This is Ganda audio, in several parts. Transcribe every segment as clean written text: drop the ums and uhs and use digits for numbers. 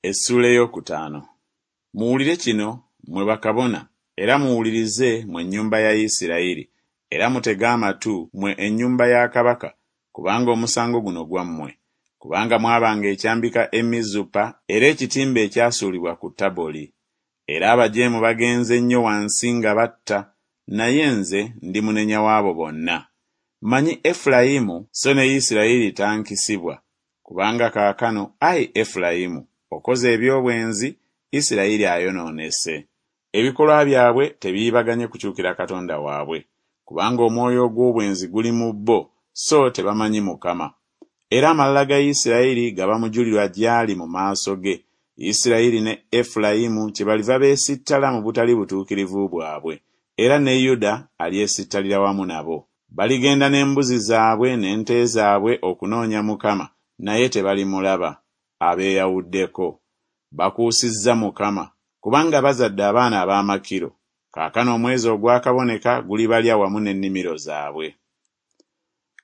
Essuula ey'okutaano. Muwulire kino, mmwe bakabona, era muwulirize, mmwe ennyumba ya Isirayiri, era mutege amatu, mmwe ennyumba ya kabaka, kubanga omusango guno gwammwe. Kubanga mwabanga ekyambika e Mizupa era ekitimba ekyasuulibwa ku Taboli. Era abajeemu bagenze nnyo wansi nga batta, naye nze ndi munenya w'abo bonna. Mmanyi Efulayimu, so ne Isirayiri tankisibwa. Kubanga kaakano, ai Efulayimu, okoze eby'obwenzi, Isirayiri ayonoonese. Ebikolwa byabwe tebiyibaganye kukyukira Katonda waabwe, kubanga omwoyo ogw'obwenzi guli mu bo, so tebamanyi Mukama. Era amalala ga Isirayiri gaba mujulirwa gy'ali mu maaso ge, Isirayiri ne Efulayimu kyebaliva beesittala mu butali butuukirivu bwabwe, era ne Yuda alyesittalira wamu nabo. Baligenda n'embuzi zaabwe n'ente zaabwe okunoonya Mukama, naye tebalimulaba. Abeeyawuddeko. Bakuusizza Mukama, kubanga bazadde abaana ab'amakiro, kaakano omwezi ogwakaboneka gulibalya wamu n'ennimiro zaabwe.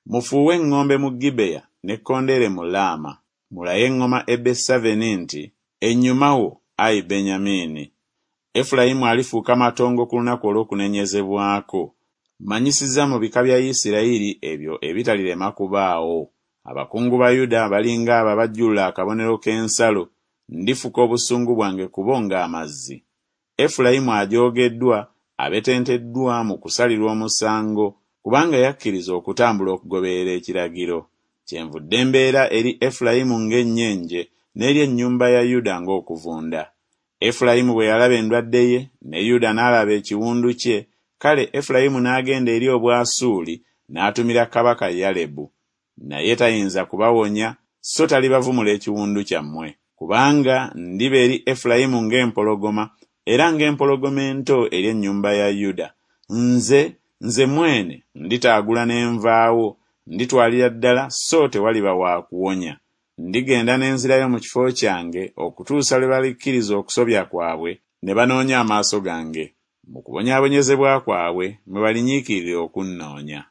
Mufuuwe eŋŋombe mu Gibeya n'ekkondeere mu Laama, mulaye eŋŋoma e Besaveni nti, Ennyuma wo, ai Benyamini. Efulayimu alifuuka matongo ku lunaku olw'okunenyezebwako. Mmanyisizza mu bika bya Isirayiri ebyo ebitalirema kubaawo. Abakungu ba Yuda bali ng'abo abajjulula akabonero k'ensalo, ndifuka obusungu bwange ku bo ng'amazzi. Efulayimu ajoogeddwa, abetenteddwa mu kusalirwa omusango, kubanga yakkiriza okutambula okugoberera ekiragiro. Kyenvudde mbeera eri Efulayimu ng'ennyenje, n'eri ennyumba ya Yuda ng'okuvunda. Efulayimu bwe yalaba endwadde ye, ne Yuda n'alaba ekiwundu kye, kale Efulayimu n'agenda eri Obwasuuli, n'atumira kabaka Yalebu. Naye tayinza kubawonya, so talibavumula ekiwundu kyammwe. Kubanga ndiba eri Efulayimu ng'empologoma, era ng'empologoma ento eri ennyumba ya Yuda. Nze, nze mwene, nditaagula ne nvaawo, nditwalira ddala so tewaliba wa kuwonya. Ndigenda ne nzirayo mu kifo kyange okutuusa lwe balikkiriza okusobya kwabwe ne banoonya amaaso gange. Mu kubonyaabonyezebwa kwabwe mwe balinyiikirira okunnoonya.